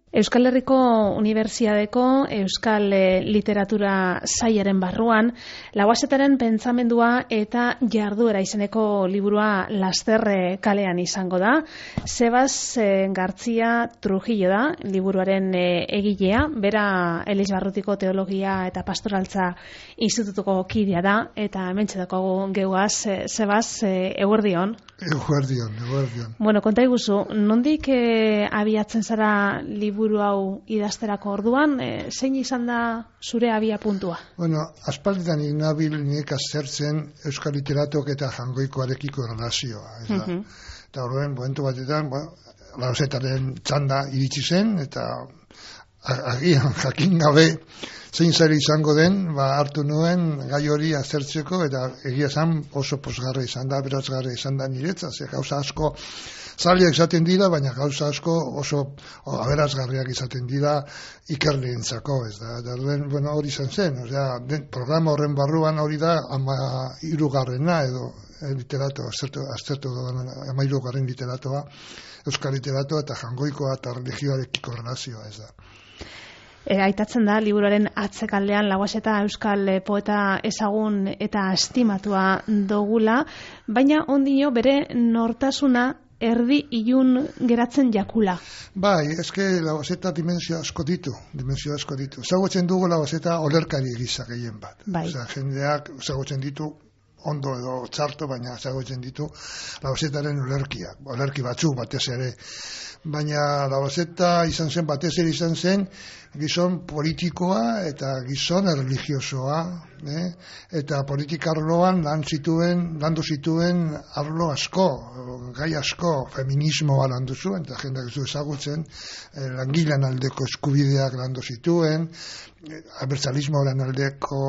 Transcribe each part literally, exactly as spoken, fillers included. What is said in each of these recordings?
Euskal Herriko Unibertsitateko Euskal Literatura Sailaren barruan, Lauazetaren pentsamendua eta jarduera izeneko liburua laster kalean izango da. Sebas Gartzia Trujillo da, liburuaren egilea, bera Elizbarrutiko Teologia eta Pastoraltza Institutuko kidea da, eta hementxe dago geuaz, Sebas, eguerdion. Eguerdion, eguerdion. Bueno, konta iguzu, nondik eh, abiatzen zara liburu hau idazterako orduan, eh, zein izan da zure abia puntua? Bueno, aspalditan ignabil nik aztertzen euskal literatok eta jangoikoarekiko relazioa. Ez da? Uh-huh. Eta horren, momentu batetan, bueno, Lauazetaren txanda iritsi zen, eta agian jakin gabe zein zer izango den, ba, hartu nuen gai hori aztertzeko, eta egia zan oso posgarra izan da, berazgarra izan da niretzat, ze gauza asko zailak izaten dira, baina gauza asko oso aberasgarriak izaten dira ikerleentzako, ez da. Eta bueno, hori izan zen, osea, den, programa horren barruan hori da ama hirugarrena edo literato, aztertu, aztertu ama hirugarren literatoa, euskal literatoa eta jangoikoa eta religioarekiko relazioa, ez da. E, aitatzen da, liburuaren atzekaldean Lauazeta euskal poeta ezagun eta estimatua dogula, baina ondino bere nortasuna erdi ilun geratzen jakula. Bai, eske Lauazeta dimensio asko ditu, dimensio asko ditu. Zagotzen dugu Lauazeta olerkari gisa gehien bat. Bai. Osea, jendeak zagotzen ditu ondo edo txarto, baina zagotzen ditu Lauazetaren olerkiak, olerki batzuk batez ere. Baina Lauazeta izan zen, batez ere izan zen, gizon politikoa eta gizon erlijiosoa, eh? Eta politika arloan lan zituen, landu zituen arlo asko, gai asko, feminismoa landu zuen, eta jendeak ez du ezagutzen, eh, langilean aldeko eskubideak landu zituen, eh, abertzalismoaren aldeko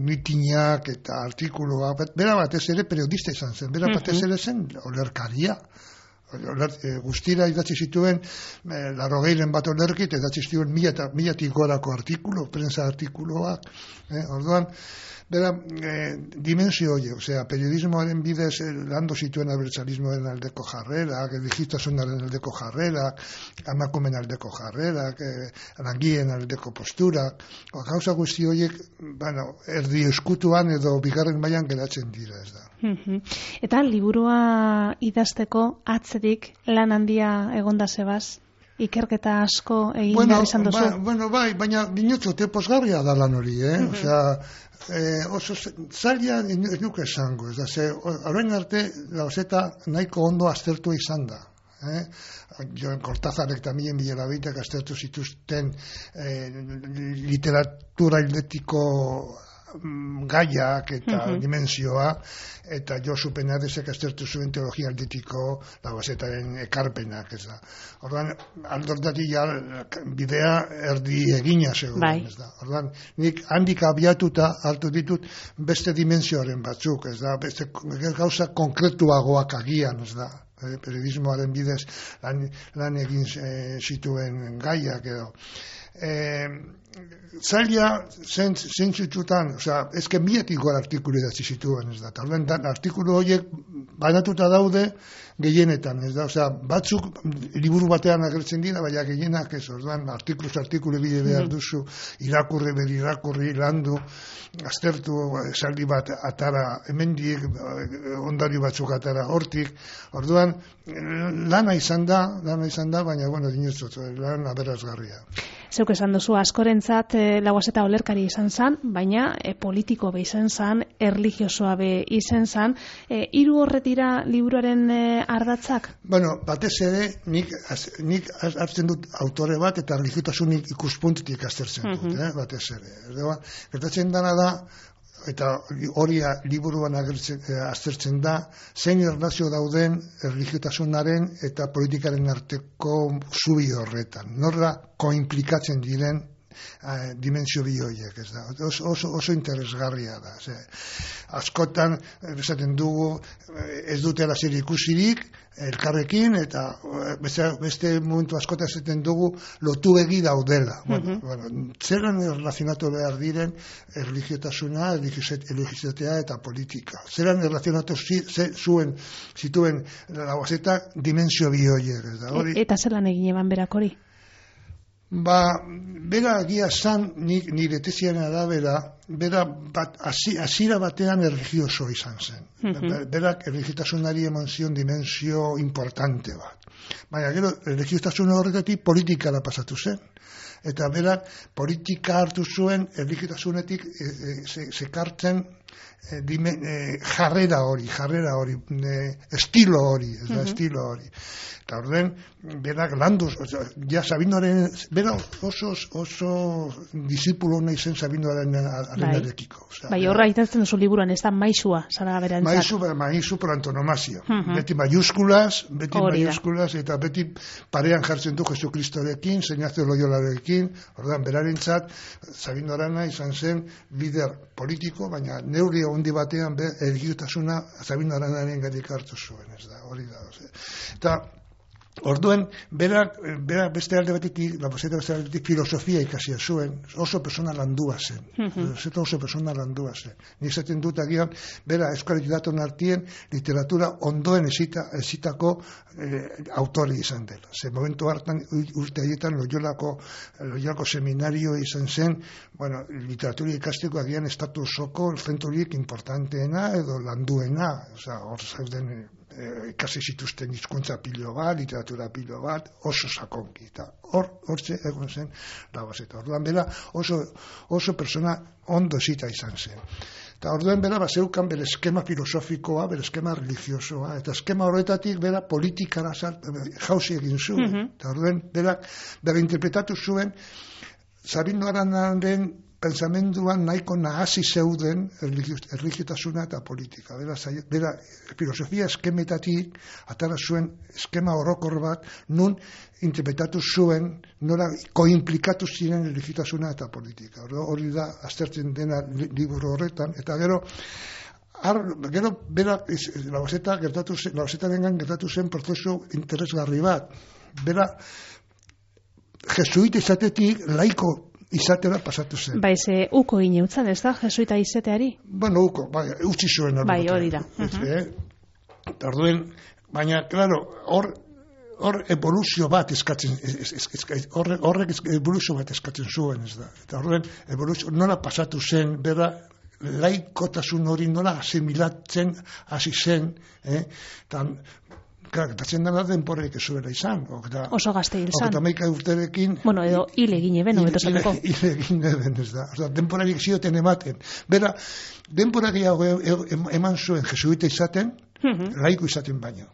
mitinak eta artikuloa, bera batez ere periodista izan zen, bera batez ere zen olerkaria. Guztira idatzi zituen eh, larrogeiren bat olerkit, idatzi zituen milatik gorako artikulo, prensa artikuloak, eh, orduan, bera, eh, dimensio hori, osea, periodismoaren bidez eh, landu zituen abertzalismoaren aldeko jarrerak, digitasunaren aldeko jarrerak, amakumen aldeko jarrerak, eh, langien aldeko posturak, gauza guzti horiek, bueno, erdi eskutuan edo bigarren mailan geratzen dira, ez da. Eta liburua idazteko atzetik lan handia egonda Sebas, ikerketa asko egin bueno, behar izan duzu? Ba, bueno, bai, baina dinotzote posgarria da lan hori, eh? Uh-huh. Osea, eh, oso zaila ez nuke esango, ez da, ze, orain arte Lauazeta nahiko ondo aztertu izan da. Eh? Joan Kortazarek eta Milen Bilerabitek aztertu zituzten eh, literatura hildetiko gaiak eta uh-huh. dimensioa, eta Josu Penadesek aztertu zuen teologia aldetiko Lauazetaren ekarpenak, ez da. Orduan, aldortatik ja bidea erdi egina zegoen, bai. Ez da. Orduan, nik handik abiatuta hartu ditut beste dimensioaren batzuk, ez da, beste gauza konkretuagoak agian, ez da. Periodismoaren bidez lan, lan egin e, zituen gaiak edo. E, zaila zentzutxutan, osea, ezke miletik gora artikulu idatzi zituen, ez da. Orduan, artikulu horiek banatuta daude gehienetan, ez da. Osea, batzuk liburu batean agertzen dira, baina gehienak ez, orduan, artikuluz artikulu bide behar duzu, irakurri, beri irakurri, landu, aztertu, esaldi bat atara, hemendik, ondari batzuk atara hortik, orduan, lana izan da, lana izan da, baina, bueno, dinotzot, lan aberazgarria. Zeuk esan duzu, askorentzat e, Lauazeta olerkari izan zan, baina e, politiko be izan zan, erlijiosoa be izan zan, e, hiru horretira liburuaren e, ardatzak? Bueno, batez ere, nik, az, nik hartzen dut autore bat eta religiosunik ikuspuntutik aztertzen dut, uh-huh. eh, batez ere. Gertatzen dana da, eta hori liburuan agertzen, eh, aztertzen da, zein erlazio dauden erligiotasunaren eta politikaren arteko zubi horretan. Norra koimplikatzen diren eh, dimensio bi horiek, ez da. Oso, oso, oso interesgarria da. Ze, askotan, esaten dugu, ez dutela zer ikusirik, elkarrekin, eta beste, beste momentu askotan esaten dugu lotu egi daudela. Uh-huh. Bueno, bueno, zeran erlazionatu behar diren erligiotasuna, erligiozatea eta politika. Zeran erlazionatu zi, ze, zuen, zituen Lauazeta dimensio bi horiek, ez da. Hori... Eta zelan egin eban berak hori? Ba, bera agia zan, nire teziaren arabera, bera bat, azira batean erligioso izan zen. Mm-hmm. Berak erligiotasunari emon zion dimensio importante bat. Baina gero, erligiotasun horretatik politikara pasatu zen. Eta berak politika hartu zuen erligiotasunetik sekartzen e, e, e, jarrera hori, jarrera hori, e, estilo hori, ez da, mm-hmm. estilo hori. Eta orden, berak landuz, ja Sabinoaren, bera oso, oso disipulo nahi zen Sabinoaren arenarekiko. Bai, horra itatzen duzu liburuan, ez da maisua, zara berantzat. Maisu, maisu por antonomasia. Uh-huh. Beti mayuskulas, beti Orida. mayuskulas, eta beti parean jartzen du Jesukristorekin, Ignacio Loyolarekin, ordan, berarentzat, Sabino Arana izan zen lider politiko, baina neurri handi batean be, erligiotasuna Sabino Aranaren gatik hartu zuen, ez da, hori da. Eta, orduen, berak, berak beste alde batetik, la beste alde batetik filosofia ikasia zuen, oso persona landua zen. Uh-huh. Oso persona landua zen. Nik zaten dut agian, bera Euskal Literaton artien literatura ondoen ezita, ezitako eh, autori izan dela. Ze momentu hartan, urte haietan, Loyolako, Loyolako seminario izan zen, bueno, literatura ikasteko agian estatu osoko zenturik importanteena edo landuena, oza, hor zauden ikasi zituzten hizkuntza pilo bat, literatura pilo bat, oso sakonki. Eta hor, hortze egon zen Labazeta. Orduan bera oso, oso persona ondo zita izan zen. Eta orduan bera bazeukan bere eskema filosofikoa, bere eskema religiosoa, eta eskema horretatik bera politikara jauzi egin zuen. Mm-hmm. Eta orduan bera, bera interpretatu zuen Sabino Aranaren pensamenduan nahiko nahasi zeuden erligiotasuna eta politika. Bera, bera filosofia eskemetatik atara zuen eskema orokor bat, nun interpretatu zuen, nora koimplikatu ziren erligiotasuna eta politika. Hori da, aztertzen dena liburu horretan, eta gero, ar, gero bera, Labazeta gertatu zen, Labazetaren gertatu zen prozesu interesgarri bat. Bera, jesuita izatetik laiko izatera pasatu zen. Bai, ze uko gine utzan, ez da, jesuita izateari? Bueno, uko, bai, utzi zuen. Bai, hori da. Uh-huh. Eh? Tarduen, baina, klaro, hor, hor evoluzio bat eskatzen, horrek horre evoluzio bat eskatzen zuen, ez da. Eta horren, evoluzio, nola pasatu zen, bera, laikotasun hori nola asimilatzen hasi zen, eh? Tan, gertatzen dena denporarik ez zuela izan. Oketa, oso gazte hil zan. Oketa meika urterekin... Bueno, edo hil egin eben, hobeto zateko. Hil egin eben, ez da. Osa, denporarik zioten ematen. Bera, denporak eman zuen jesuita izaten, uh-huh. laiko izaten baino.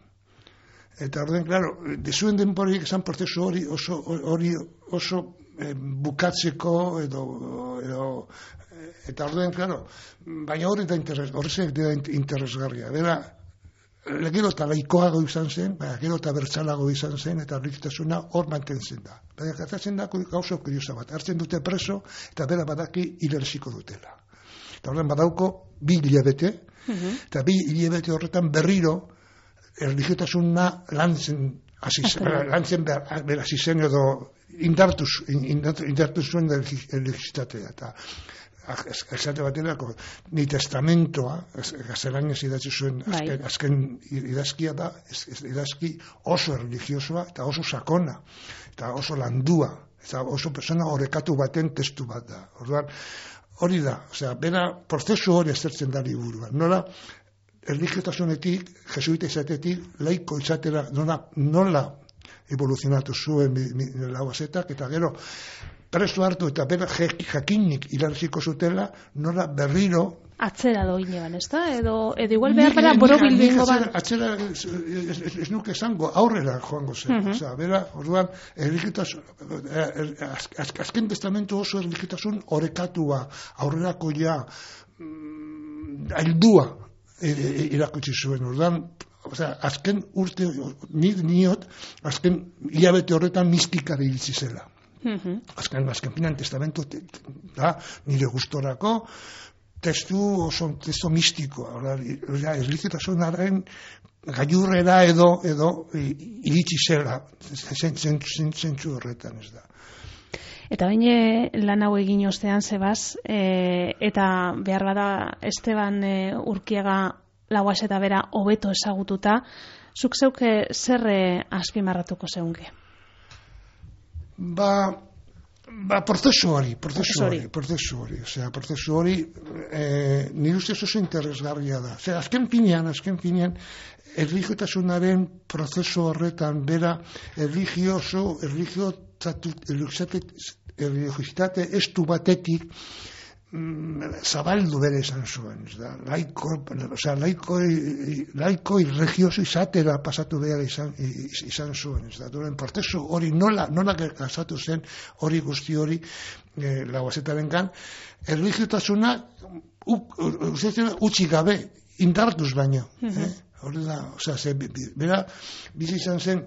Eta orden, klaro, dezuen denporarik esan prozesu hori oso, hori oso eh, bukatzeko edo... edo eta orden, klaro, baina hori da interes, horrezek da interesgarria. Bera, gero eta laikoago izan zen, baina gero eta bertzalago izan zen, eta erligitasuna hor mantentzen da. Baina gertatzen da gauza kuriosa bat, hartzen dute preso, eta bera badaki hilerziko dutela. Eta horren badauko bi hilabete, uh-huh. eta bi hilabete horretan berriro erligiotasuna lantzen hasi lantzen behar hasi zen edo indartuz, indartuz zuen erligitatea. Eta esate baterako, ni testamentoa, gaztelanez idatzi zuen azken, azken idazkia da, idazki oso religiosoa eta oso sakona, eta oso landua, eta oso persona horrekatu baten testu bat da. Orduan, hori da, osea, bera prozesu hori aztertzen da liburuan. Nola, erligiotasunetik, jesuita izatetik, laiko izatera, nola, nola evoluzionatu zuen Labazetak, eta gero, preso hartu eta bera jakinik hilarziko zutela, nola berriro... Atzera doine ban, ez da? Edo, edo igual behar bera borobil bingo ban. Atzera, ez nuke zango, aurrera joango zen. Uh-huh. Osa, bera, orduan, erligitasun, azken testamentu oso erligitasun horrekatua, aurrerako ja, aildua irakutsi zuen. Orduan, osea, azken urte, nik niot, azken hilabete horretan mistikari hiltzi zela. Uh-huh. Azken, azken finan testamentu da, nire gustorako testu oso testu mistikoa, erligiotasunaren gailurrera edo edo iritsi zela zentzu horretan, ez da. Eta baina lan hau egin ostean zebaz, e, eta behar bada Esteban e, Urkiaga Labazeta bera hobeto ezagututa, zuk zeuke zer azpimarratuko zeunke? Ba, Ba, prozesu hori, prozesu hori, prozesu hori, osea, prozesu hori, eh, nire ustez oso interesgarria da. Osea, azken finean, azken finean, erlijiotasunaren prozesu horretan bera, erlijioso, erlijiositate estu batetik, zabaldu bere izan zuen, laiko, osea, laiko, laiko irregioso izatera pasatu behar izan, izan zuen, ez da, duren prozesu hori nola, nola gertatu zen hori guzti hori eh, Lauazetaren gan, erligiotasuna utzi gabe, indartuz baino, eh? Hori da, osea, ze, bera, bizi izan zen,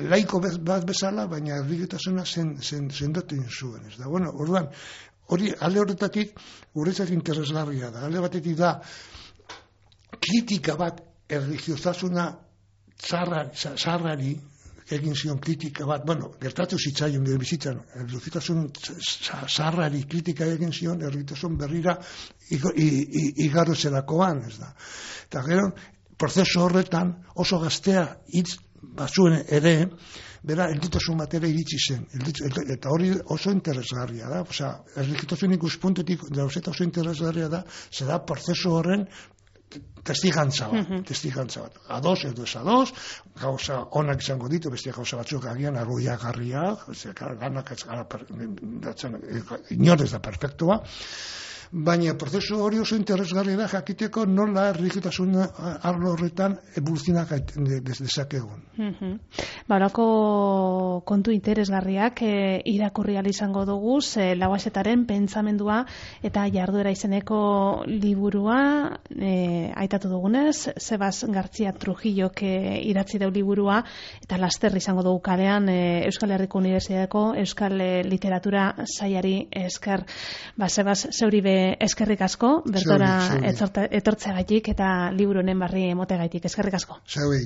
laiko bat bezala, baina erligiotasuna zen, zen, zendotu zuen, ez da, bueno, orduan, hori, alde horretatik, guretzat interesgarria da. Alde batetik da, kritika bat erligiozasuna zarrari, egin zion kritika bat, bueno, gertatu zitzaion gure bizitzan, erligiozasun zarrari kritika egin zion, erligiozasun berrira igaro zelakoan, ez da. Eta gero, prozesu horretan oso gaztea hitz batzuen ere, bera, elditasun batera iritsi zen. Eta hori oso interesgarria da. Osea, erligiotasun ikuspuntetik Lauseta oso interesgarria da, zera prozesu horren testigantza bat, uh-huh. testigantza bat. Ados edo ez ados, gauza onak izango ditu, bestia gauza batzuk agian arruiagarriak, ganak ez gara, inorez da perfektua, baina prozesu hori oso interesgarria da jakiteko nola erligiotasun arlo horretan evoluzionak dezakegun. Uh-huh. Barako kontu interesgarriak e, irakurri ahal izango dugu, e, Lauazetaren pentsamendua eta jarduera izeneko liburua e, aitatu dugunez, Sebas Gartzia Trujillok e, idatzi dau liburua eta laster izango dugu kalean e, Euskal Herriko Unibertsitateko Euskal e, Literatura Sailari esker. Ba, Sebas, zeuri be eskerrik asko, bertora etortzeagatik eta liburu honen barri emotegaitik. Eskerrik asko. Zeui.